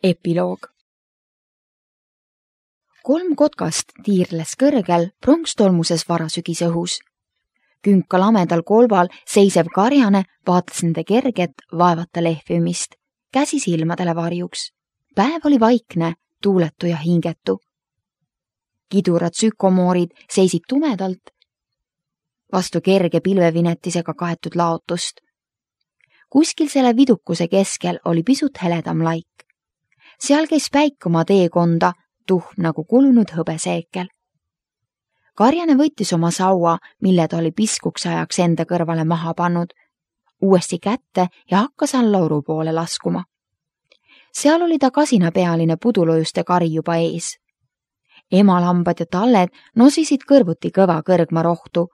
Epiloog. 3 kotkast tiirles kõrgel pronkstolmuses varasügise õhus. Künka lamedal kolval seisev karjane vaatas nende kerget vaevata lehvimist, käsi silmadele varjuks. Päev oli vaikne, tuuletu ja hingetu. Kidurad sükomoorid seisid tumedalt vastu kerge pilvevinetisega kaetud laotust. Kuskil selle vidukuse keskel oli pisut heledam laik. Seal käis päik oma teekonda, tuhm nagu kulunud hõbeseekel. Karjane võttis oma saua, mille ta oli piskuks ajaks enda kõrvale maha pannud, uuesti kätte ja hakkas allauru poole laskuma. Seal oli ta kasinapealine pudulojuste kari juba ees. Emalambad ja talled nosisid kõrvuti kõva kõrgma rohtu.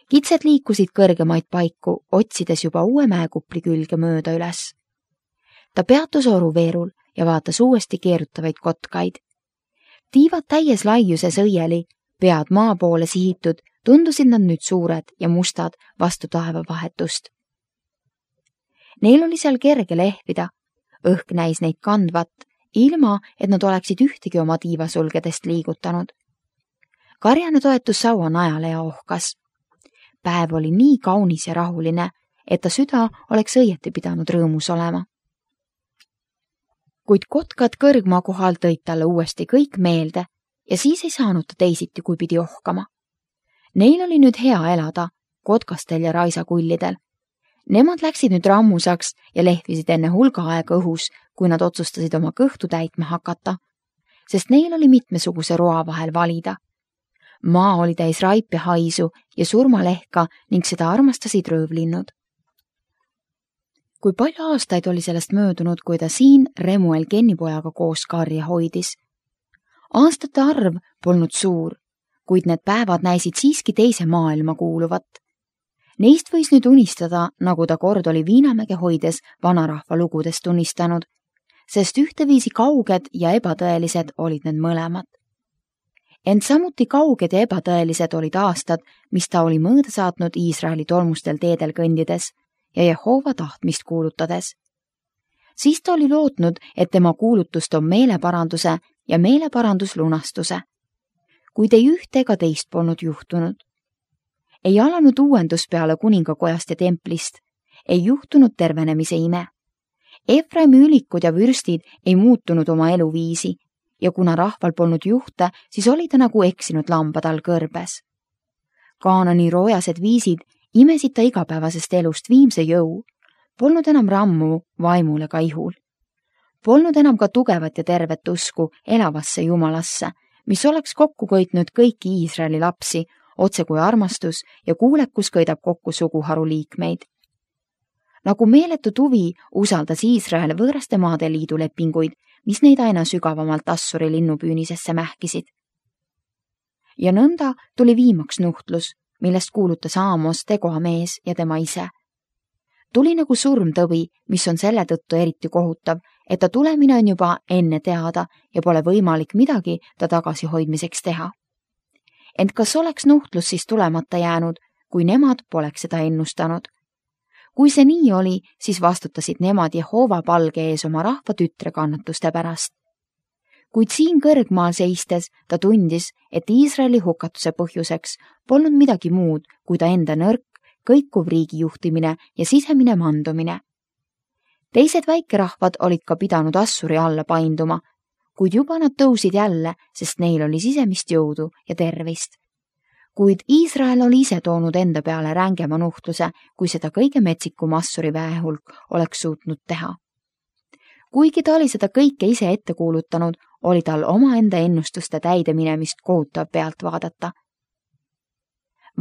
Kitsed liikusid kõrgemaid paiku, otsides juba uue mäekupli külge mööda üles. Ta peatus oruveerul ja vaatas uuesti keerutavaid kotkaid. Tiivad täies laiuses õieli, pead maa poole sihitud, tundusid nad nüüd suured ja mustad vastu taeva vahetust. Neil oli seal kerge lehvida, õhk näis neid kandvat, ilma et nad oleksid ühtegi oma tiivasulgedest liigutanud. Karjane toetus saua najale ja ohkas. Päev oli nii kaunis ja rahuline, et ta süda oleks õieti pidanud rõõmus olema. Kuid kotkad kõrgmaa kohal tõid talle uuesti kõik meelde ja siis ei saanud ta teisiti, kui pidi ohkama. Neil oli nüüd hea elada, kotkastel ja raisakullidel. Nemad läksid nüüd rammusaks ja lehvisid enne hulga aega õhus, kui nad otsustasid oma kõhtu täitma hakata, sest neil oli mitmesuguse roa vahel valida. Maa oli täis raipe haisu ja surmalehka ning seda armastasid röövlinnud. Kui palju aastaid oli sellest möödunud, kui ta siin Remuel Kennipojaga koos karja hoidis. Aastate arv polnud suur, kuid need päevad näisid siiski teise maailma kuuluvat. Neist võis nüüd unistada, nagu ta kord oli Viinamäge hoides vanarahva lugudest tunnistanud, sest ühteviisi kauged ja ebatõelised olid need mõlemad. Ent samuti kauged ja ebatõelised olid aastad, mis ta oli mõõda saatnud Iisraeli tolmustel teedel kõndides ja Jehova tahtmist kuulutades. Siis ta oli lootnud, et tema kuulutust on meeleparanduse ja meeleparanduslunastuse. Kuid ei ühte ega teist polnud juhtunud. Ei alanud uuendus peale kuningakojast ja templist, ei juhtunud tervenemise ime. Efraimi ülikud ja vürstid ei muutunud oma eluviisi ja kuna rahval polnud juhte, siis oli ta nagu eksinud lambad all kõrbes. Kaanani roojased viisid imesid ta igapäevasest elust viimse jõu, polnud enam rammu vaimul ega ihul. Polnud enam ka tugevat ja tervet usku elavasse Jumalasse, mis oleks kokku köitnud kõiki Iisraeli lapsi, otse kui armastus ja kuulekus köidab kokku suguharu liikmeid. Nagu meeletu tuvi usaldas Iisrael võõraste maade liidu lepinguid, mis neid aina sügavamalt Assuri linnupüünisesse mähkisid. Ja nõnda tuli viimaks nuhtlus, millest kuulutas Aamos Tegoa mees ja tema ise. Tuli nagu surmtõvi, mis on selle tõttu eriti kohutav, et ta tulemine on juba enne teada ja pole võimalik midagi ta tagasihoidmiseks teha. Ent kas oleks nuhtlus siis tulemata jäänud, kui nemad poleks seda ennustanud? Kui see nii oli, siis vastutasid nemad Jehova palge ees oma rahva tütre kannatuste pärast. Kuid siin kõrgmaal seistes ta tundis, et Iisraeli hukatuse põhjuseks polnud midagi muud, kui ta enda nõrk, kõikuv riigi juhtimine ja sisemine mandumine. Teised väikerahvad olid ka pidanud Assuri alla painduma, kuid juba nad tõusid jälle, sest neil oli sisemist jõudu ja tervist. Kuid Iisrael oli ise toonud enda peale rängema nuhtluse, kui seda kõige metsikum Assuri väehulk oleks suutnud teha. Kuigi ta oli seda kõike ise ette kuulutanud, oli tal omaenda ennustuste täideminemist kohutav pealt vaadata.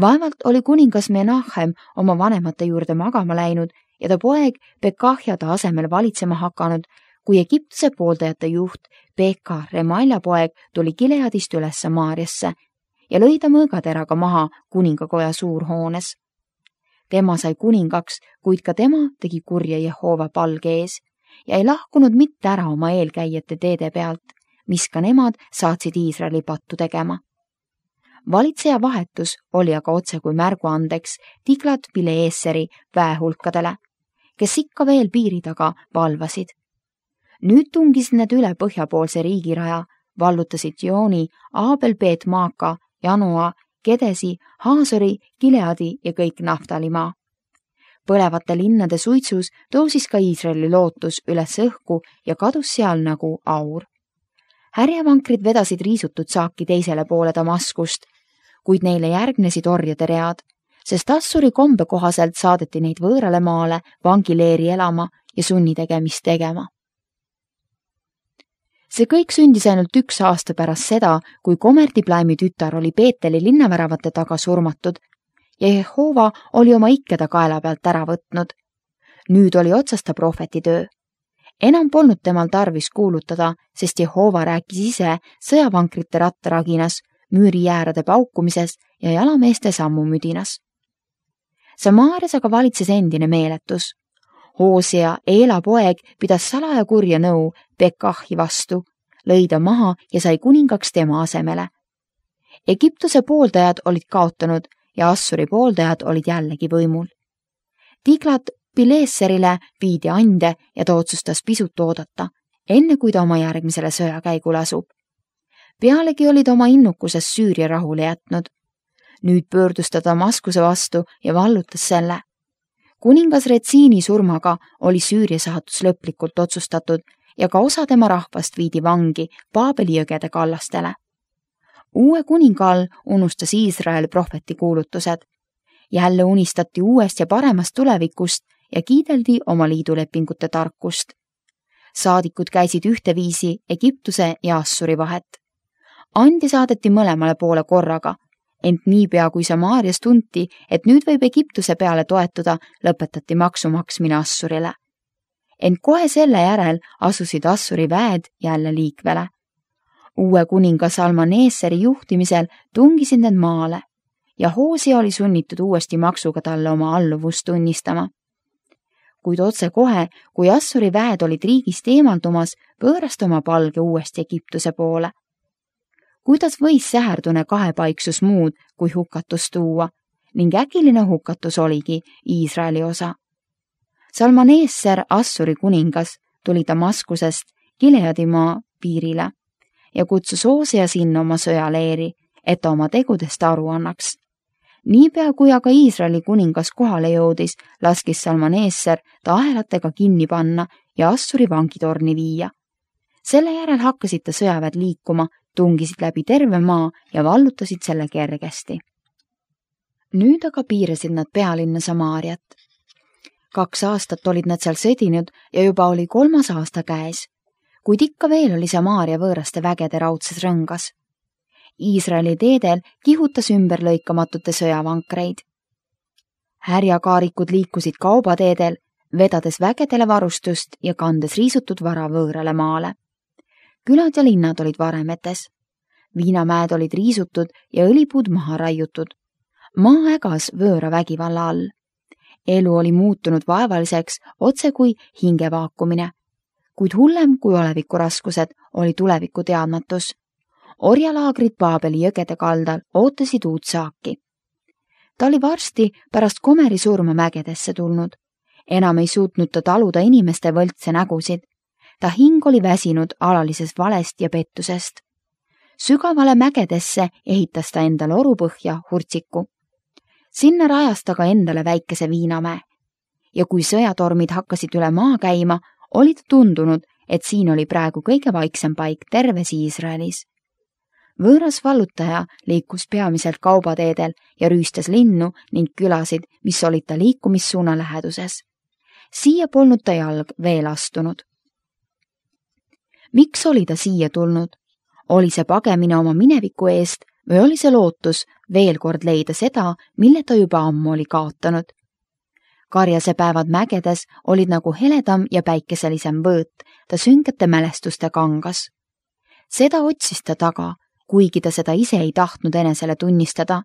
Vaevalt oli kuningas Menachem oma vanemate juurde magama läinud ja ta poeg Pekahja ta asemel valitsema hakanud, kui Egiptuse pooldajate juht Pekah Remalja poeg tuli Gileadist üles Samaariasse ja lõi ta mõõgateraga maha kuningakoja suurhoones. Tema sai kuningaks, kuid ka tema tegi kurja Jehova palge ees ja ei lahkunud mitte ära oma eelkäijate teede pealt, mis ka nemad saatsid Iisraeli pattu tegema. Valitseja vahetus oli aga otse kui märguandeks Tiglat-Pileeseri väehulkadele, kes ikka veel piiri taga valvasid. Nüüd tungisid need üle põhjapoolse riigiraja, vallutasid Jooni, Aabel, Peet, Maaka, Janoa, Kedesi, Haasori, Gileadi ja kõik Naftalimaa. Põlevate linnade suitsus tõusis ka Iisraeli lootus üles õhku ja kadus seal nagu aur. Härjavankrid vedasid riisutud saaki teisele poole Damaskust, kuid neile järgnesid orjade read, sest Assuri kombe kohaselt saadeti neid võõrale maale vangileeri elama ja sunnitegemist tegema. See kõik sündis ainult 1 aasta pärast seda, kui Komerdiplaimi tütar oli Peeteli linnaväravate taga surmatud ja Jehova oli oma ikkeda kaela pealt ära võtnud. Nüüd oli otsas ta prohvetitöö. Enam polnud temal tarvis kuulutada, sest Jehova rääkis ise sõjavankrite rattaraginas, müüriäärade paukumises ja jalameeste sammumüdinas. Samaarias aga valitses endine meeletus. Hoosia, Eela poeg, pidas salaja kurja nõu Pekahi vastu, lõi ta maha ja sai kuningaks tema asemele. Egiptuse pooldajad olid kaotanud ja Assuri pooldajad olid jällegi võimul. Tiglat Pileserile viidi ande ja ta otsustas pisut oodata, enne kui ta oma järgmisele sõjakäigule asub. Pealegi oli ta oma innukuses Süüria rahule jätnud. Nüüd pöördus ta Damaskuse vastu ja vallutas selle. Kuningas Retsiini surmaga oli Süüria saatus lõplikult otsustatud ja ka osa tema rahvast viidi vangi Paabeli jõgede kallastele. Uue kuninga all unustas Iisrael prohveti kuulutused. Jälle unistati uuest ja paremast tulevikust ja kiideldi oma liidulepingute tarkust. Saadikud käisid ühteviisi Egiptuse ja Assuri vahet. Andi saadeti mõlemale poole korraga, ent niipea kui Samaarias tunti, et nüüd võib Egiptuse peale toetuda, lõpetati maksu maksmine Assurile. Ent kohe selle järel asusid Assuri väed jälle liikvele. Uue kuninga Salmaneeseri juhtimisel tungisid need maale ja Hoosia oli sunnitud uuesti maksuga talle oma alluvust tunnistama. Kuid otse kohe, kui Assuri väed olid riigist eemaldumas, pöörast oma palge uuesti Egiptuse poole. Kuidas võis säherdune kahepaiksus muud kui hukatus tuua ning äkiline hukatus oligi Iisraeli osa. Salmaneesser, Assuri kuningas, tuli Damaskusest Gileadimaa piirile ja kutsus Hoosia sinna oma sõjaleeri, et ta oma tegudest aru annaks. Niipea kui aga Iisraeli kuningas kohale jõudis, laskis Salmaneesser ta ahelatega kinni panna ja Assuri vangitorni viia. Selle järel hakkasid ta sõjaväed liikuma, tungisid läbi terve maa ja vallutasid selle kergesti. Nüüd aga piirasid nad pealinna Samaariat. 2 aastat olid nad seal sõdinud ja juba oli 3. aasta käes, kuid ikka veel oli Samaaria võõraste vägede raudses rõngas. Iisraeli teedel kihutas ümberlõikamatute sõjavankreid. Härjakaarikud liikusid kaubateedel, vedades vägedele varustust ja kandes riisutud vara võõrale maale. Külad ja linnad olid varemetes. Viinamäed olid riisutud ja õlipuud maha raiutud. Maa ägas võõra vägivalla all. Elu oli muutunud vaevaliseks otse kui hingevaakumine, kuid hullem kui olevikuraskused oli tuleviku teadmatus. Orjalaagrid Paabeli jõgede kaldal ootasid uut saaki. Ta oli varsti pärast Komeri surma mägedesse tulnud. Enam ei suutnud ta taluda inimeste võltse nägusid. Ta hing oli väsinud alalisest valest ja pettusest. Sügavale mägedesse ehitas ta endale orupõhja Hurtsiku. Sinna rajas ta ka endale väikese viinamäe. Ja kui sõjatormid hakkasid üle maa käima, oli ta tundunud, et siin oli praegu kõige vaiksem paik terves Iisraelis. Võõras vallutaja liikus peamiselt kaubateedel ja rüüstas linnu ning külasid, mis olid ta liikumissuuna läheduses. Siia polnud ta jalg veel astunud. Miks oli ta siia tulnud? Oli see pagemine oma mineviku eest või oli see lootus veel kord leida seda, mille ta juba ammu oli kaotanud? Karjase päevad mägedes olid nagu heledam ja päikeselisem võõt, ta süngete mälestuste kangas. Seda otsis ta taga, kuigi ta seda ise ei tahtnud enesele tunnistada.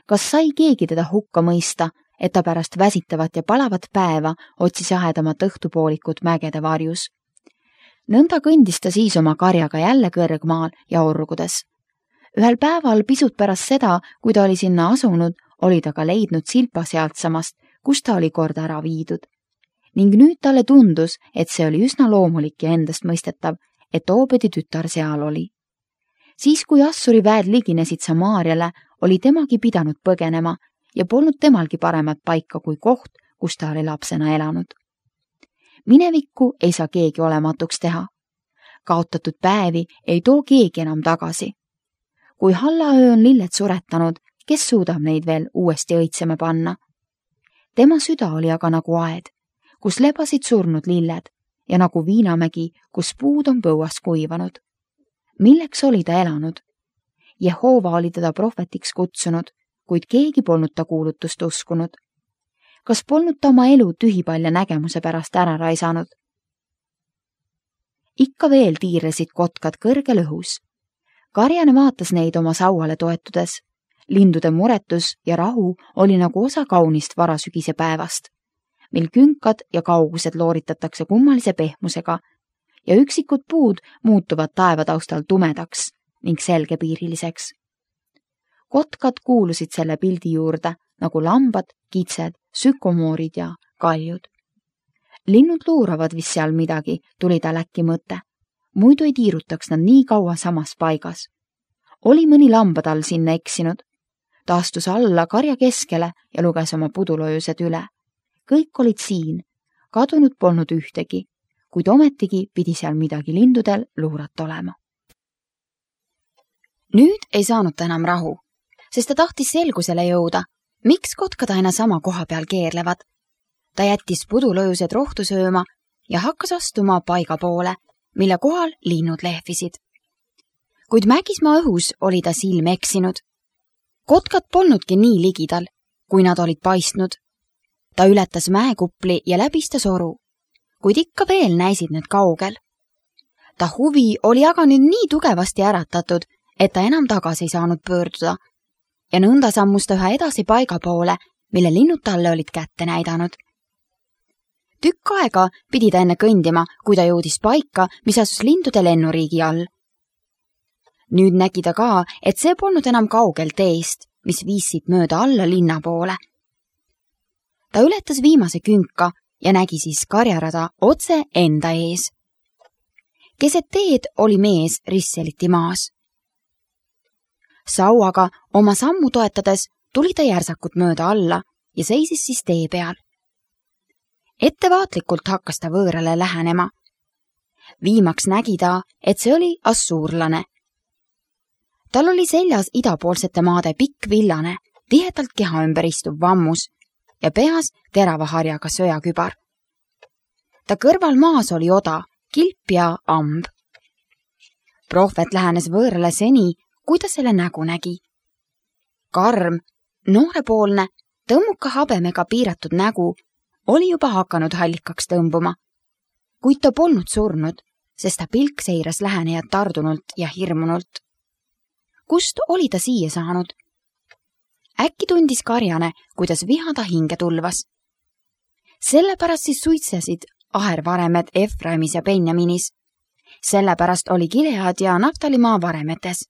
Kas sai keegi teda hukka mõista, et ta pärast väsitavat ja palavat päeva otsis ahedamat õhtupoolikut mägede varjus? Nõnda kõndis ta siis oma karjaga jälle kõrgmaal ja orgudes. Ühel päeval pisut pärast seda, kui ta oli sinna asunud, oli ta ka leidnud silpa sealtsamast, kus ta oli kord ära viidud. ning nüüd talle tundus, et see oli üsna loomulik ja endast mõistetav, et Obedi tütar seal oli. Siis, kui Assuri väed liginesid Samaariale, oli temagi pidanud põgenema ja polnud temalgi paremat paika kui koht, kus ta oli lapsena elanud. Minevikku ei saa keegi olematuks teha. Kaotatud päevi ei too keegi enam tagasi. Kui hallaöö on lilled suretanud, kes suudab neid veel uuesti õitsema panna? Tema süda oli aga nagu aed, kus lebasid surnud lilled ja nagu viinamägi, kus puud on põuas kuivanud. Milleks oli ta elanud? Jehova oli teda prohvetiks kutsunud, kuid keegi polnud ta kuulutust uskunud. Kas polnud ta oma elu tühipalja nägemuse pärast ära raisanud? Ikka veel tiirlesid kotkad kõrgel õhus. Karjane vaatas neid oma sauale toetudes. Lindude muretus ja rahu oli nagu osa kaunist varasügise päevast, mil künkad ja kaugused looritatakse kummalise pehmusega ja üksikud puud muutuvad taevataustal tumedaks ning selgepiiriliseks. Kotkad kuulusid selle pildi juurde nagu lambad, kitsed, sükomoorid ja kaljud. Linnud luuravad vist seal midagi, tuli tal äkki mõte. Muidu ei tiirutaks nad nii kaua samas paigas. Oli mõni lambadal sinna eksinud. Ta astus alla karja keskele ja luges oma pudulojused üle. Kõik olid siin, kadunud polnud ühtegi, kuid ometigi pidi seal midagi lindudel luurat olema. Nüüd ei saanud ta enam rahu, sest ta tahtis selgusele jõuda, miks kotkad aina sama koha peal keerlevad. Ta jättis pudulojused rohtu sööma ja hakkas astuma paiga poole, mille kohal linnud lehvisid. Kuid mägismaa õhus oli ta silm eksinud. Kotkad polnudki nii ligidal, kui nad olid paistnud. Ta ületas mäekupli ja läbistas oru, kuid ikka veel näisid need kaugel. Ta huvi oli aga nüüd nii tugevasti äratatud, et ta enam tagasi ei saanud pöörduda ja nõnda sammus ta üha edasi paiga poole, mille linnud talle olid kätte näidanud. Tükk aega pidi ta enne kõndima, kui ta jõudis paika, mis asus lindude lennuriigi all. Nüüd nägi ta ka, et see polnud enam kaugel teest, mis viisid mööda alla linna poole. Ta ületas viimase künka ja nägi siis karjarada otse enda ees. Keset teed oli mees risseliti maas. Sauaga oma sammu toetades tuli ta järsakut mööda alla ja seisis siis tee peal. Ettevaatlikult hakkas ta võõrale lähenema. Viimaks nägi ta, et see oli assuurlane. Tal oli seljas idapoolsete maade pikk villane, tihedalt keha ümber istuv vammus ja peas terava harjaga söjakübar. Ta kõrval maas oli oda, kilp ja amb. Prohvet lähenes võõrale seni, kui ta selle nägu nägi. Karm, noorepoolne, tõmmuka habemega piiratud nägu oli juba hakanud hallikaks tõmbuma, kuid ta polnud surnud, sest ta pilk seiras lähenejad tardunult ja hirmunult. Kust oli ta siia saanud? Äkki tundis karjane, kuidas viha ta hinge tulvas. Sellepärast siis suitsesid ahervaremed Efraimis ja Benjaminis. Sellepärast oli Gilead ja Naftalimaa varemetes.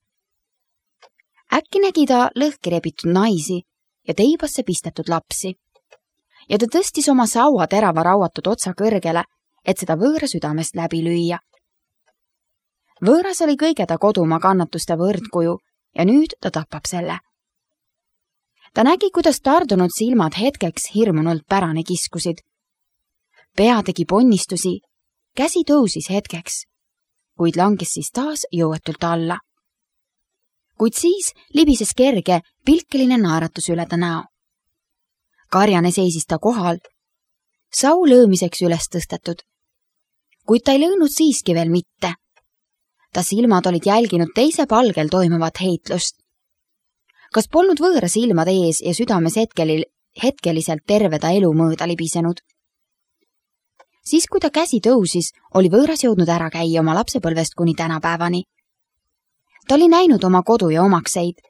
Äkki nägi ta lõhki rebitud naisi ja teibasse pistetud lapsi. Ja ta tõstis oma saua terava rauatud otsa kõrgele, et seda võõra südamest läbi lüüa. Võõras oli kõige ta kodumaa kannatuste võrdkuju ja nüüd ta tapab selle. Ta nägi, kuidas tardunud silmad hetkeks hirmunult pärane kiskusid. Pea tegi ponnistusi, käsi tõusis hetkeks, kuid langes siis taas jõuetult alla. Kuid siis libises kerge, pilkeline naeratus üle ta näo. Karjane seisis ta kohal, sau löömiseks üles tõstetud, kuid ta ei löönud siiski veel mitte. Ta silmad olid jälginud teise palgel toimuvat heitlust. Kas polnud võõra silmade ees ja südames hetkeliselt terve ta elu mööda libisenud? Siis, kui ta käsi tõusis, oli võõras jõudnud ära käia oma lapsepõlvest kuni tänapäevani. Ta oli näinud oma kodu ja omakseid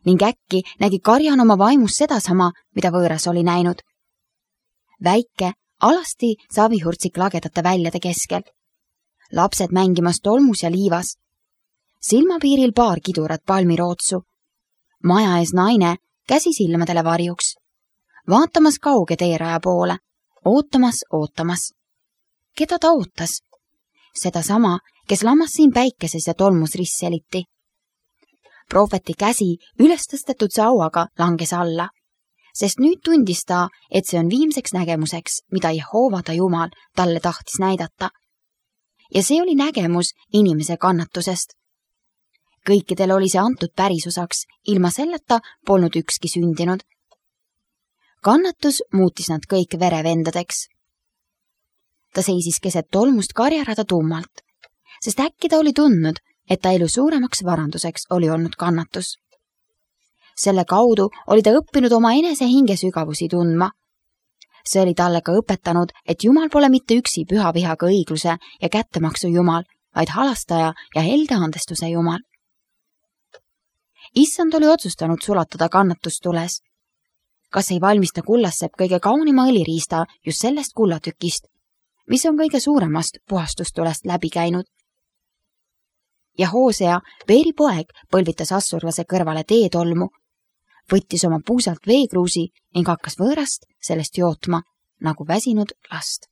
ning äkki nägi karjan oma vaimus sedasama, mida võõras oli näinud. Väike, alasti savihurtsik lagedate väljade keskel. Lapsed mängimas tolmus ja liivas. Silmapiiril paar kidurat palmirootsu. Maja ees naine, käsi silmadele varjuks. Vaatamas kauge teeraja poole, ootamas. Keda ta ootas? Sedasama, kes lammas siin päikeses ja tolmus ristseliti. Prohveti käsi üles tõstetud sauaga langes alla, sest nüüd tundis ta, et see on viimseks nägemuseks, mida Jehova ta Jumal talle tahtis näidata. Ja see oli nägemus inimese kannatusest. Kõikidel oli see antud pärisusaks, ilma selleta polnud ükski sündinud. Kannatus muutis nad kõik verevendadeks. Ta seisis keset tolmust karjarada tummalt, sest äkki ta oli tundnud, et ta elu suuremaks varanduseks oli olnud kannatus. Selle kaudu oli ta õppinud oma enese hinge sügavusi tundma. See oli talle ka õpetanud, et Jumal pole mitte üksi püha vihaga õigluse ja kättemaksu Jumal, vaid halastaja ja helde andestuse Jumal. Issand oli otsustanud sulatada kannatustules. Kas ei valmista kullassepp kõige kaunima õliriista just sellest kullatükist, mis on kõige suuremast puhastustulest läbi käinud? Ja Hoosea, Beeri poeg, põlvitas assurlase kõrvale teetolmu, võttis oma puusalt veekruusi ning hakkas võõrast sellest jootma nagu väsinud last.